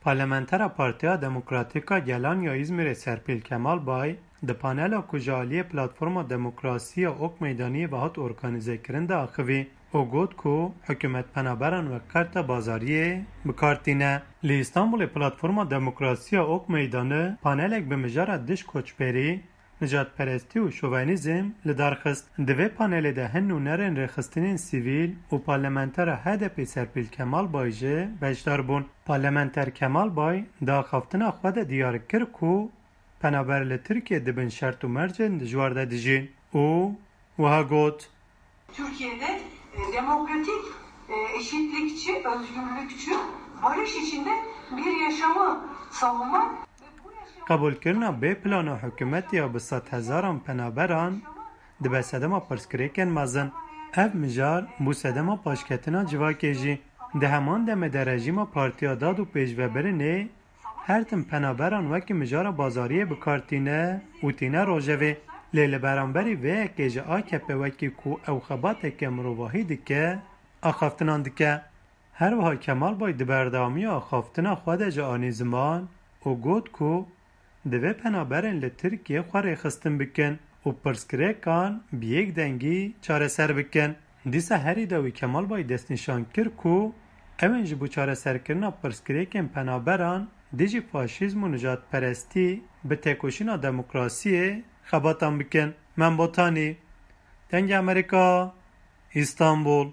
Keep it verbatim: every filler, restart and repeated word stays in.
Parlamentera Partiya Demokratîk a Gelan ya Îzmîrê Serpîl Kemalbay di panela ku ji aliyê Platforma Demokrasî ya Ok Meydaniyê ve hat organîzekirin de axivî û got ku hikûmet penaberan wek karta bazariyê bi kar tîne. Li Îstanbulê Platforma Demokrasî ya Ok Meydanî panelek bi mijara dij koçberî, nijadperestî û şovenîzm li dar xist. Di vê panelê de hin nûnerên rêxistinên sivîl û parlamentera H D P Serpîl Kemalbay jî beşdar bûn. Parlamenter Kemalbay di axaftina xwe de diyar kir ku penaber li Tirkiyê di bin şert û mercên dijwar de dijîn û wiha got: Türkiye'de e, demokratik, e, eşitlikçi, özgürlükçü, barış içinde bir yaşamı savunmak ve bu yaşamı Qebûlkirina bê plana hikûmetê ya bi sedhezaran penaberan dibe sedema pirsgirêkên mezin. Ev mijar bû sedema paşketina civakê jî. Di heman demê de rejîma Partiya Dad û Pêşvebirinê her tim penaberan wekî mijara bazariyê bi kar tîne û tîne rojevê. Lê li beramberî vê yekê ji A K P wekî ku ew xebateke mirovahî dike, axaftinan dike. Her wiha Kemalbay di berdewamiya axaftina xwe de jî anî ziman û got ku divê penaberên li Tirkiyê xwe rêxistin bikin û pirsgirêkan bi yek dengî çareser bikin. Dîsa herî dawî Kemalbay destnîşan kir ku ew ên ji bo çareserkirina pirsgirêkên penaberan dijî faşîzm û nijadperestî bi têkoşîna demokrasiyê xebatan bikin. Membotanî, Dengê Amerîka, Îstanbul.